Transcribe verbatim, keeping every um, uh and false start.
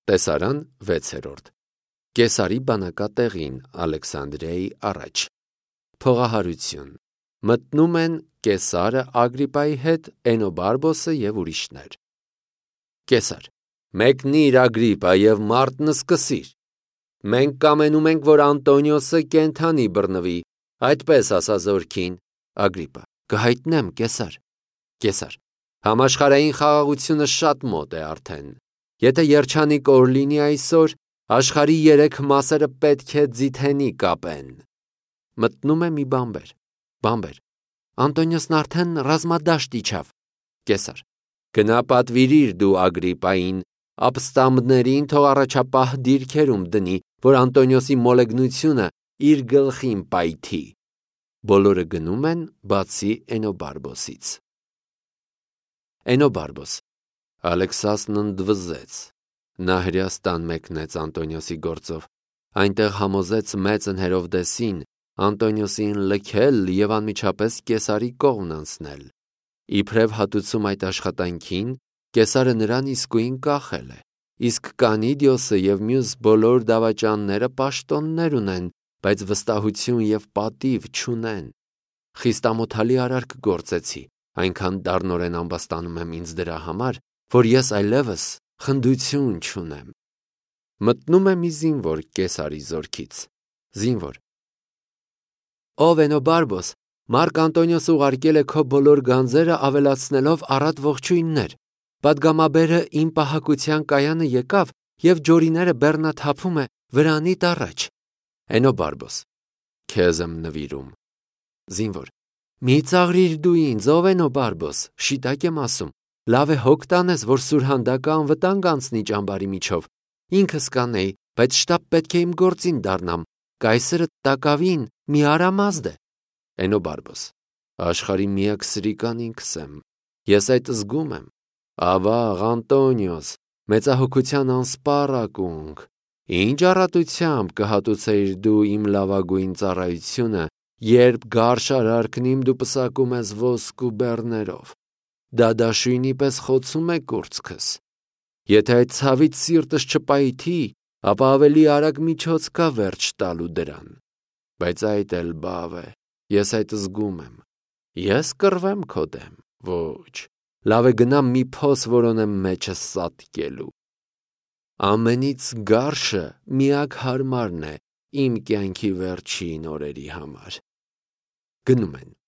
Տեսարան վեցերորդ Կեսարի բանակատեղին Ալեքսանդրիայի առաջ Փողահարություն Մտնում են Կեսարը Ագրիպայի հետ, Էնոբարբոսը և ուրիշներ։ Կեսար. Մեկնիր Ագրիպա և մարտն սկսիր։ Մենք կամենում ենք, որ Անտոնիոսը կենդանի բռնվի, այդպես ասա զորքին։ Ագրիպա. Կհայտնեմ, Կեսար։ Կեսար. Համաշխարհային խաղաղությունը շատ մոտ է արդեն։ Եթե երջանիկ օր լինի այսօր, աշխարհի երեք մասերը պետք է ձիթենի կապեն։ Մտնում է մի բանբեր։ Բանբեր. Անտոնիոսն արդեն ռազմադաշտ իջավ։ Կեսար. Գնա պատվիրիր դու Ագրիպային, ապստամբներին թող առաջապահ դիրքերում դնի, որ Անտոնիոսի մոլեգնությունը իր գլխին պայթի։ Բոլորը գնում են, բացի Էնոբարբոսից։ Էնոբարբոս. Ալեքսասն ընդվզեց։ Նա Հրեաստան մեկնեց Անտոնիոսի գործով, այնտեղ համոզեց մեծն Հերովդեսին Անտոնիոսին լքել և անմիջապես Կեսարի կողմն անցնել։ Իբրև հատուցում այդ աշխատանքին, Կեսարը նրան իսկույն կախել է, իսկ Կանիդիոսը և մյուս բոլոր դավաճանները պաշտոններ ունեն, բայց վստահություն և պատիվ չունեն։ Խիստ ամոթալի արարք գործեցի, այնքան դառնորեն ամբաստանում եմ ինձ դրա համար, որ ես այլևս խնդություն չունեմ։ Մտնում է մի զինվոր Կեսարի զորքից։ Զինվոր. Ով Էնոբարբոս, Մարկ Անտոնիոսը ուղարկել է քո բոլոր գանձերը ավելացնելով առատ ողջույններ։ Պատգամաբերը իմ պահակության կայանը եկավ և ջորիները բեռնաթափում է վրանիդ առաջ։ Էնոբարբոս. Քեզ եմ նվիրում։ Զինվոր. Մի ծաղրիր դու ինձ, ով Էնոբարբոս, շիտակ եմ ասում, լավ է հոգ տանես, որ սուրհանդակը անվտանգ անցնի ճամբարի միջով։ Ինքս կանեի, բայց շտապ պետք է իմ գործին դառնամ։ Կայսրը տակավին մի արամազդ է։ Էնոբարբոս. Աշխարհի միակ սրիկան ինքս եմ։ Ես այդ զգում եմ։ Ավաղ Անտոնիոս, մեծահոգության անսպառ ակունք, ինչ առատությամբ կհատուցեիր դու իմ լավագույն ծառայությունը, երբ գարշ արարքն իմ դու պսակում ես ոսկու բեռներով։ Դա դաշույնի պես խոցում է կուրծքս։ Եթե այդ ցավից սիրտս չպայթի, ապա ավելի արագ միջոց կա վերջ տալու դրան։ Բայց այդ էլ բավ է, ես այդ զգում եմ։ Ես կռվեմ քո դեմ, ոչ, լավ է գնամ մի փոս որոնեմ մեջս սատկելու։ Ամենից գարշը միակ հարմարն է իմ կյանքի վերջին օրերի համար։ Գնում են։